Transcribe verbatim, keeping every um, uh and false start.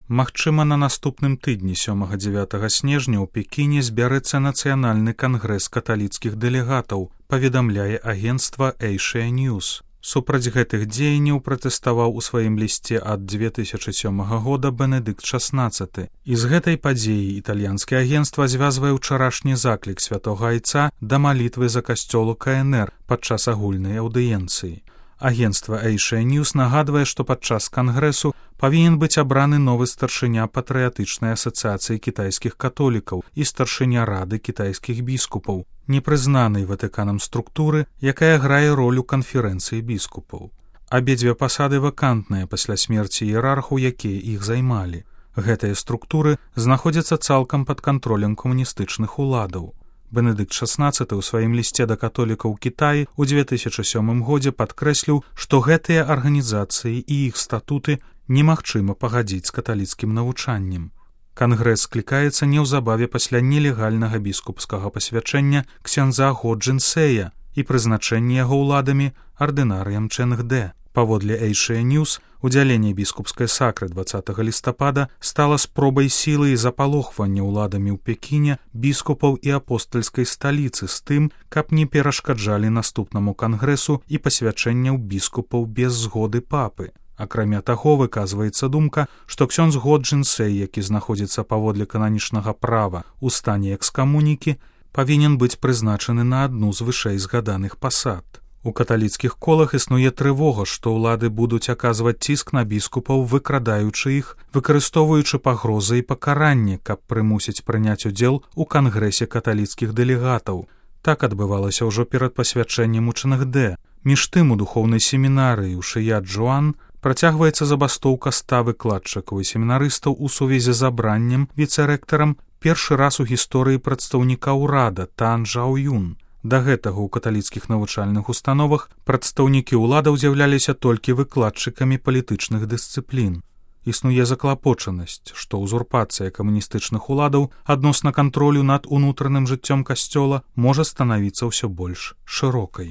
Магчыма, на наступным тыдні сёмага-дзевятага снежня ў Пекіне збярэцца нацыянальны кангрэс каталіцкіх дэлегатаў, паведамляе агенцтва Asia News. Супраць гэтых дзеянняў пратэставаў у сваім лісце ад дзве тысячы сёмага года Бенедыкт шаснаццаты. І з гэтай падзеі італьянскае агенцтва звязвае ўчарашні заклік святога айца да малітвы за касцёл у ка эн эр падчас агульнай аўдыенцыі. Агенцтва Asia News нагадвае, што падчас кангрэсу павінен быць абраны новы старшыня патрыятычнай асацыяцыі кітайскіх католікаў і старшыня рады кітайскіх біскупаў, непрызнанай Ватыканам структуры, якая грае ролю канферэнцыі біскупаў. Абедзве пасады вакантныя пасля смерці іерархаў, якія іх займалі. Гэтыя структуры знаходзяцца цалкам пад кантролем камуністычных уладаў. Бенедыкт шаснаццаты ў сваім лісце да католікаў Кітаі ў дзве тысячы сёмым годзе падкрэсліў, што гэтыя арганізацыі і іх статуты немагчыма пагадзіць з каталіцкім навучаннем. Кангрэс склікаецца неўзабаве пасля нелегальнага біскупскага пасвячэння ксяндза Го Джын-сэя і прызначэння яго ўладамі ардынарыям Чэнг-дэ. Паводле Asia News, удзяленне біскупскай сакры дваццатага лістапада стала спробай сілы і запалохвання ўладамі ў Пекіне біскупаў і апостальскай сталіцы з тым, каб не перашкаджалі наступнаму кангрэсу і пасвячэнняў біскупаў без згоды папы. Акрамя таго, выказваецца думка, што ксёндз Го Джын-сэй, які знаходзіцца паводле кананічнага права ў стане экскамунікі, павінен быць прызначаны на адну з вышэй згаданых пасад. У каталіцкіх колах існуе трывога, што ўлады будуць аказваць ціск на біскупаў, выкрадаючы іх, выкарыстоўваючы пагрозы і пакаранне, каб прымусіць прыняць удзел у кангрэсе каталіцкіх дэлегатаў. Так адбывалася ўжо перад пасвячэннем у Чэнг-дэ. Між тым, у духоўнай семінарыі ў Шыя-Джуан працягваецца забастоўка ста выкладчыкаў і семінарыстаў у сувязі з абраннем віцэрэктарам першы раз у гісторыі прадстаўніка ўрада Тан Жао-юн. Да гэтага ў каталіцкіх навучальных установах прадстаўнікі ўладаў з'яўляліся толькі выкладчыкамі палітычных дысцыплін. Існуе заклапочанасць, што ўзурпацыя камуністычных уладаў адносна кантролю над унутраным жыццём касцёла можа станавіцца ўсё больш шырокай.